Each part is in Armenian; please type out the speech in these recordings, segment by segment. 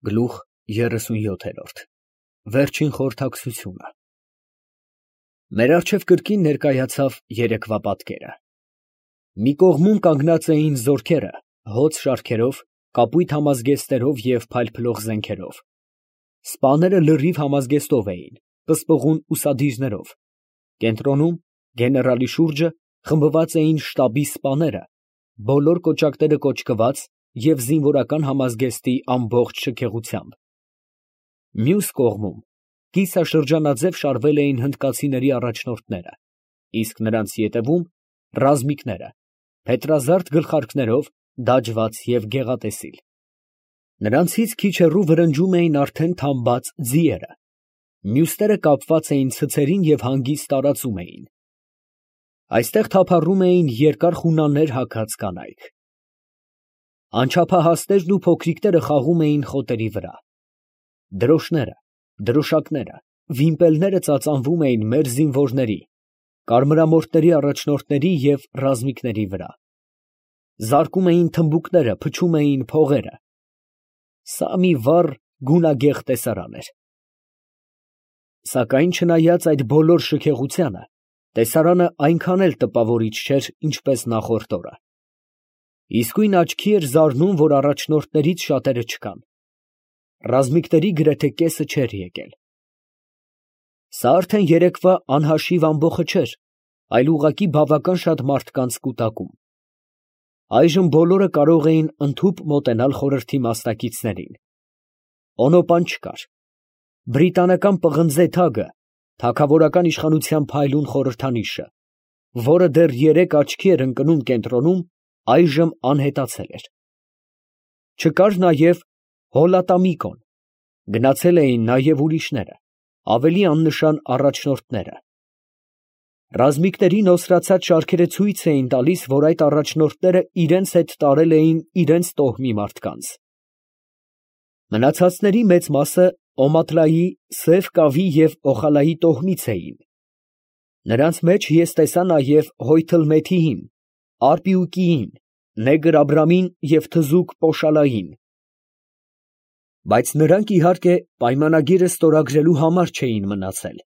Գլուխ 37 Վերջին խորհրդակցությունը Մեր առջև կրկին ներկայացավ երեկվա պատկերը։ Մի կողմում կանգնած էին զորքերը հոծ շարքերով, կապույտ համազգեստներով և փայլփլող զենքերով։ Սպաները լրիվ համազգեստով էին, պսպղուն ուսադիրներով։ Կենտրոնում, գեներալի շուրջը խմբված էին շտաբի սպաները, բոլոր կոճակները կոճկված և զինվորական համազգեստի ամբողջ շքեղությամբ։ Մյուս կողմում կիսաշրջանաձև շարվել էին հնդկացիների առաջնորդները, իսկ նրանց ետևում ռազմիկները, փետրազարդ գլխարկներով, դաջված և գեղատեսիլ։ Նրանցից քիչ հեռու վրնջում էին արդեն թամբած ձիերը, մյուսները կապված էին ցցերին և հանգիստ տարածում էին։ Այստեղ թափառում էին երկար խունաներ հագած կանայք։ Անչափահասներն ու փոքրիկները խաղում էին խոտերի վրա։ Դրոշները, դրոշակները, վիմպելները ծածանվում էին մեր զինվորների, կարմրամորթների առաջնորդների և ռազմիկների վրա։ Զարկում էին թմբուկները, փչում էին փողերը։ Սա մի վառ գունագեղ տեսարան էր։ Սակայն չնայած այդ բոլոր շքեղությանը, տեսարանը այնքան էլ տպավորիչ չէր, ինչպես նախորդ օրը։ Իսկույն աչքի էր զարնում, որ առաջնորդներից շատերը չկան։ Ռազմիկների գրեթե կեսը չէր եկել։ Սա արդեն երեկվա անհաշիվ ամբոխը չէր, այլ ուղղակի բավական շատ մարդկանց կուտակում։ Այժմ բոլորը կարող էին ընդհուպ մոտենալ խորհրդի մասնակիցներին։ Օնոպան չկար։ Բրիտանական պղնձե թագը, թագավորական իշխանության փայլուն խորհրդանիշը, որը դեռ երեկ աչքի էր ընկնում կենտրոնում, այժմ անհետացել էր։ Չկար նաև Հոլատամիկոն, գնացել էին նաև ուրիշները, ավելի աննշան առաջնորդները։ Ռազմիկների նոսրացած շարքերը ցույց էին տալիս, որ այդ առաջնորդները իրենց հետ տարել էին իրենց տոհմի մարդկանց։ Մնացածների մեծ մասը Օմատլայի, Սև Կավի և Օխալայի տոհմից էին։ Նրանց մեջ ես տեսա նաև Հոյթլմեթիին, Արպիուկիին, Նեգր Աբրամին և թզուկ Պոշալային։ Բայց նրանք, իհարկե, պայմանագիրը ստորագրելու համար չէին մնացել։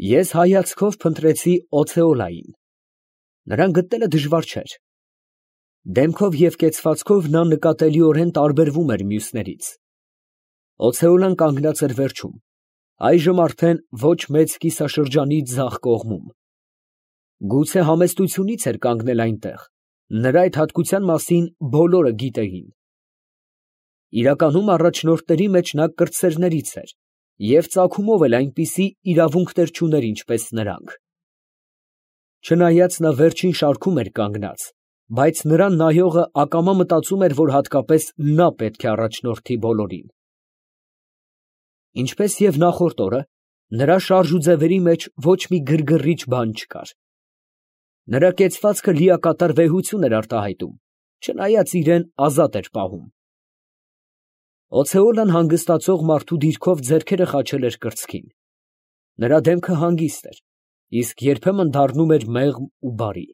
Ես հայացքով փնտրեցի Օցեոլային։ Նրան գտնելը դժվար չէր։ Դեմքով և կեցվածքով նա նկատելիորեն տարբերվում էր մյուսներից։ Օցեոլան կանգնած էր վերջում, այժմ արդեն ոչ մեծ կիսաշրջանի ձախ կողմում։ Գուցե համեստությունից էր կանգնել այնտեղ, նրա այդ հատկության մասին բոլորը գիտեին։ Իրականում առաջնորդների մեջ նա կրտսերներից էր և ծագումով էլ այնպիսի իրավունքներ չուներ, ինչպես նրանք։ Չնայած նա վերջին շարքում էր կանգնած, բայց նրան նայողը ակամա մտածում էր, որ հատկապես նա պետք է առաջնորդի բոլորին։ Ինչպես և նախորդ օրը, նրա շարժուձևերի մեջ ոչ մի գրգռիչ բան չկար։ Նրա կեցվածքը լիակատար վեհություն էր արտահայտում, չնայած իրան ազատ էր պահում։ Օցեոլան հանգստացող մարդու դիրքով ձեռքերը խաչել էր կրծքին։ Նրա դեմքը հանգիստ էր, իսկ երբեմն դառնում էր մեղմ ու բարի։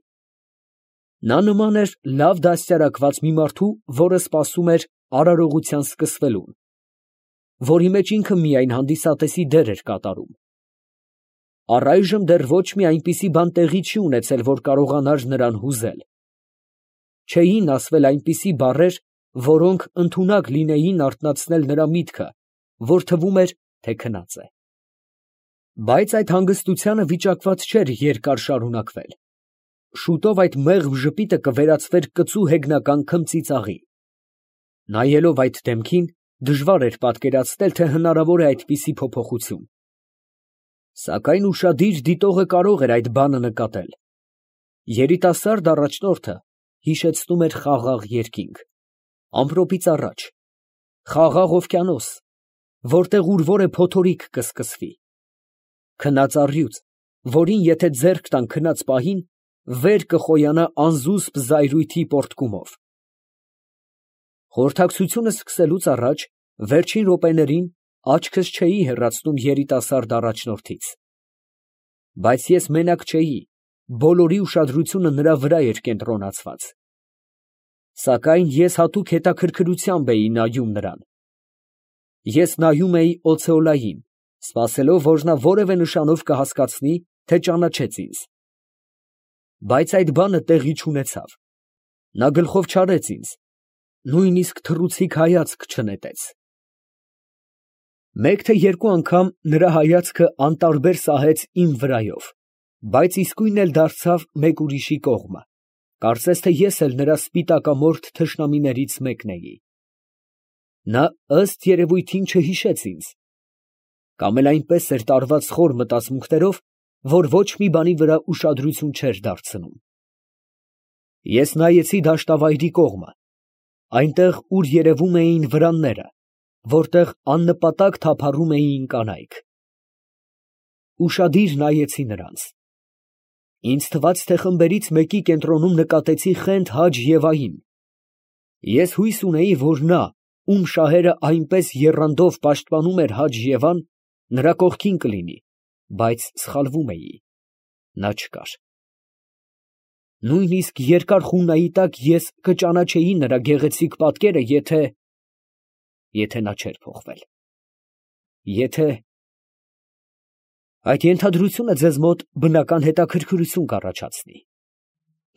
Նա նման էր լավ դաստիարակված մի մարդու, որը սպասում էր արարողության սկսվելուն, որի մեջ ինքը միայն հանդիսատեսի դեր էր կատարում։ Առայժմ դեռ ոչ մի այնպիսի բան տեղի չի ունեցել, որ կարողանար նրան հուզել։ Չէին ասվել այնպիսի բառեր, որոնք ընդունակ լինեին արթնացնել նրա միտքը, որ թվում էր, թե քնած է։ Բայց այդ հանգստությանը վիճակված չէր երկար շարունակվել։ Շուտով այդ մեղմ ժպիտը կվերածվեր կծու հեգնական քմծիծաղի։ Նայելով այդ դեմքին, դժվար էր պատկերացնել, թե հնարավոր է այդպիսի փոփոխություն։ Սակայն ուշադիր դիտողը կարող էր այդ բանը նկատել։ Երիտասարդ առաջնորդը հիշեցնում էր խաղաղ երկինք, ամպրոպից առաջ, խաղաղ օվկիանոս, որտեղ ուր որ է փոթորիկ կսկսվի, քնած առյուծ, որին եթե ձեռք տան քնած պահին, վեր կխոյանա անզուսպ զայրույթի պոռթկումով։ Խորհրդակցությունը սկսելուց առաջ, վերջին րոպեներին, աչքս չէի հեռացնում երիտասարդ առաջնորդից։ Բայց ես մենակ չէի, բոլորի ուշադրությունը նրա վրա էր կենտրոնացված։ Սակայն ես հատուկ հետաքրքրությամբ էի նայում նրան, Ես նայում էի օցեոլային, սպասելով, որ նա որևէ նշանով կհասկացնի, թե ճանաչեց ինձ։ Բայց այդ բանը տեղի չունեցավ. նա գլխով չարեց ինձ, նույնիսկ թռուցիկ հայացք չնետեց։ Մեկ թե երկու անգամ նրա հայացքը անտարբեր սահեց իմ վրայով, բայց իսկույն էլ դարձավ մեկ ուրիշի կողմը, կարծես թե ես էլ նրա սպիտակամորթ թշնամիներից մեկն էի։ Նա ըստ երևույթին չհիշեց ինձ, կամ էլ այնպես էր տարված խոր մտածմունքներով, որ ոչ մի բանի վրա ուշադրություն չէր դարձնում։ Ես նայեցի դաշտավայրի կողմը, այնտեղ, ուր երևում էին վրանները, որտեղ աննպատակ թափառում էին կանայք։ Ուշադիր նայեցի նրանց։ Ինձ թվաց, թե խմբերից մեկի կենտրոնում նկատեցի խենթ Հաջ Եվային։ Ես հույս ունեի, որ նա, ում շահերը այնպես եռանդով պաշտպանում էր Հաջ Եվան, նրա կողքին կլինի, բայց սխալվում էի, նա չկար։ Նույնիսկ երկար խուննայի տակ ես կճանաչեի նրա գեղեցիկ պատկերը, եթե նա չէր փոխվել։ Եթե… Այդ ենթադրությունը ձեզ մոտ բնական հետաքրքրություն կառաջացնի։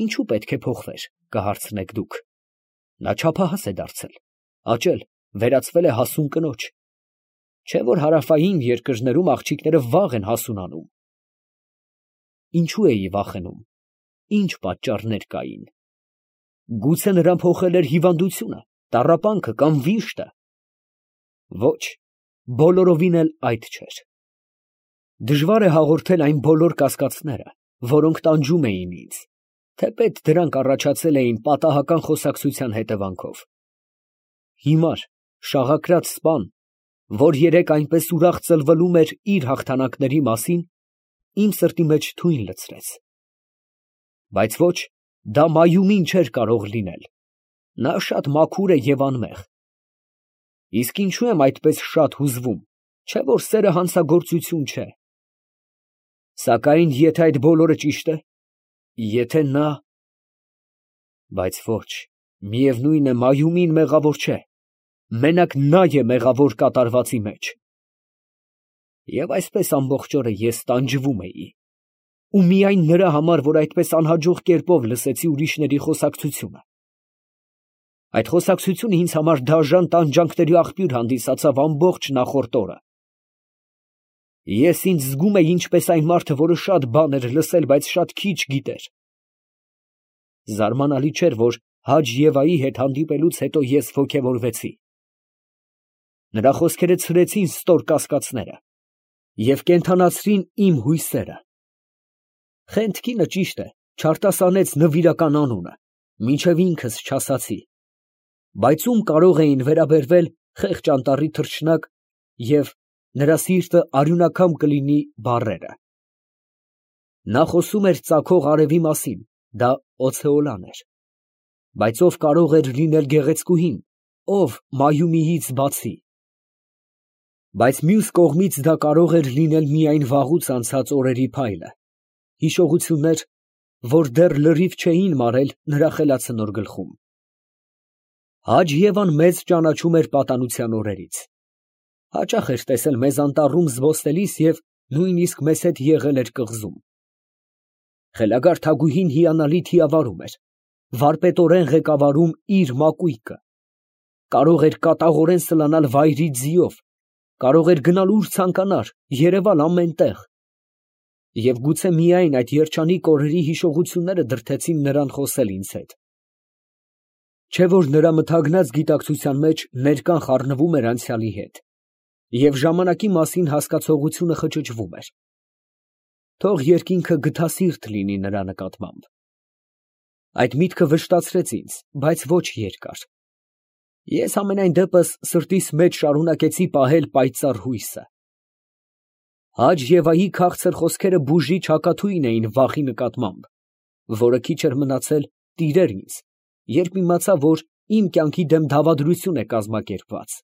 Ինչու պետք է փոխվեր, կհարցնեք դուք։ Նա չափահաս է դարձել, աճել, վերածվել է հասուն կնոջ։ Չէ՞ որ հարավային երկրներում աղջիկները վաղ են հասունանում։ Ինչու էի վախենում, ինչ պատճառներ կային։ Գուցե նրան փոխել էր հիվանդությունը, տառապանքը կամ վիշտը։ Ոչ, բոլորովին էլ այդ չէր։ Դժվար է հաղորդել այն բոլոր կասկածները, որոնք տանջում էին ինձ, թեպետ դրանք առաջացել էին պատահական խոսակցության հետևանքով։ Հիմար, շաղակրած սպան, որ երեկ այնպես ուրախ ծլվլում էր իր հաղթանակների մասին, իմ սրտի մեջ թույն լցրեց։ Բայց ոչ, դա Մայումին չէր կարող լինել, նա շատ մաքուր է և անմեղ։ Իսկ ինչու եմ այդպես շատ հուզվում, չէ՞ որ սերը հանցագործություն չէ։ Սակայն եթե այդ բոլորը ճիշտ է, եթե նա… Բայց ոչ, միևնույն է, Մայումին մեղավոր չէ, մենակ նա է մեղավոր կատարվածի մեջ։ Եվ այսպես ամբողջ օրը ես տանջվում էի, ու միայն նրա համար, որ այդպես անհաջող կերպով լսեցի ուրիշների խոսակցությունը։ Այդ խոսակցությունը ինձ համար դաժան տանջանքների աղբյուր հանդիսացավ ամբողջ նախորդ օրը։ Ես ինձ զգում էի ինչպես այն մարդը, որը շատ բան էր լսել, բայց շատ քիչ գիտեր։ Զարմանալի չէր, որ Հաջ Եվայի հետ հանդիպելուց հետո ես ոգևորվեցի։ Նրա խոսքերը ցրեցին ստոր կասկածները և կենդանացրին իմ հույսերը։ Խենթ կինը, ճիշտ է, չարտասանեց նվիրական անունը, մինչև ինքս չասացի, բայց ում կարող էին վերաբերվել խեղճ անտառի թռչնակ և նրա սիրտը արյունակամ կլինի բառերը։ Նա խոսում էր ծագող արևի մասին, դա օցեոլան էր, բայց ով կարող էր լինել գեղեցկուհին, ով Մայումիից բացի։ Բայց մյուս կողմից դա կարող էր լինել միայն վաղուց անցած օրերի փայլը, հիշողություններ, որ դեռ լրիվ չէին մարել նրա խելացնոր գլխում։ Հաջ Եվան մեզ ճանաչում էր պատանության օրերից։ Հաճախ էր տեսել մեզ անտառում զբոսնելիս և նույնիսկ մեզ հետ եղել էր կղզում։ Խելագար թագուհին հիանալի թիավարում էր, վարպետորեն ղեկավարում իր մակույկը, կարող էր կատաղորեն սլանալ վայրի ձիով, կարող էր գնալ ուր ցանկանար, երևալ ամեն տեղ։ Եվ գուցե միայն այդ երջանիկ օրերի հիշողությունները դրդեցին նրան խոսել ինձ հետ։ Չէ՞ որ նրա մթագնած գիտակցության մեջ ներկան խառնվում էր անցյալի հետ, և ժամանակի մասին հասկացողությունը խճճվում էր։ Թող երկինքը գթասիրտ լինի նրա նկատմամբ։ Այդ միտքը վշտացրեց ինձ, բայց ոչ երկար։ Ես համենայն դեպս սրտիս մեջ շարունակեցի պահել պայծառ հույսը։ Հաջ Եվայի քաղցր խոսքերը բուժիչ հակաթույն էին վախի նկատմամբ, որը քիչ էր մնացել տիրեր ինձ, երբ իմացա, որ իմ կյանքի դեմ դավադրություն է կազմակերպված։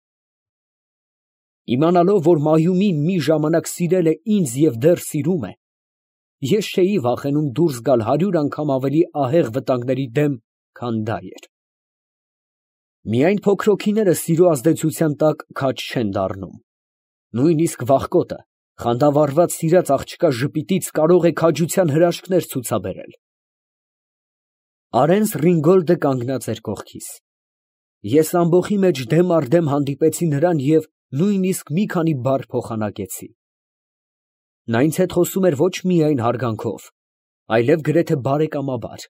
Իմանալով, որ Մայումին մի ժամանակ սիրել է ինձ և դեռ սիրում է, ես չէի վախենում դուրս գալ 100 անգամ ավելի ահեղ վտանգների դեմ, քան դա էր։ Միայն փոքր հոգիները սիրո ազդեցության տակ քաջ չեն դառնում. նույնիսկ վախկոտը, խանդավառված սիրած աղջկա ժպիտից կարող է քաջության հրաշքներ ցուցաբերել։ Արենս Ռինգոլդը կանգնած էր կողքիս։ Ես ամբոխի մեջ դեմ առ դեմ հանդիպեցի նրան և նույնիսկ մի քանի բառ փոխանակեցի։ Նա ինձ հետ խոսում էր ոչ միայն հարգանքով, այլև գրեթե բարեկամաբար։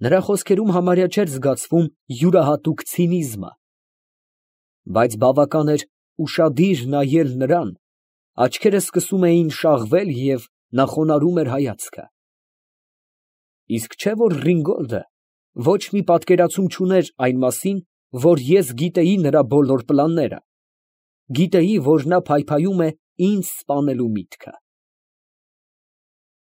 Նրա խոսքերում համարյա չէր զգացվում յուրահատուկ ցինիզմը, բայց բավական էր ուշադիր նայել նրան, աչքերը սկսում էին շաղվել և նա խոնարհում էր հայացքը։ Իսկ չէ՞ որ Ռինգոլդը ոչ մի պատկերացում չուներ այն մասին, որ ես գիտեի նրա բոլոր պլանները, գիտեի, որ նա փայփայում է ինձ սպանելու միտքը։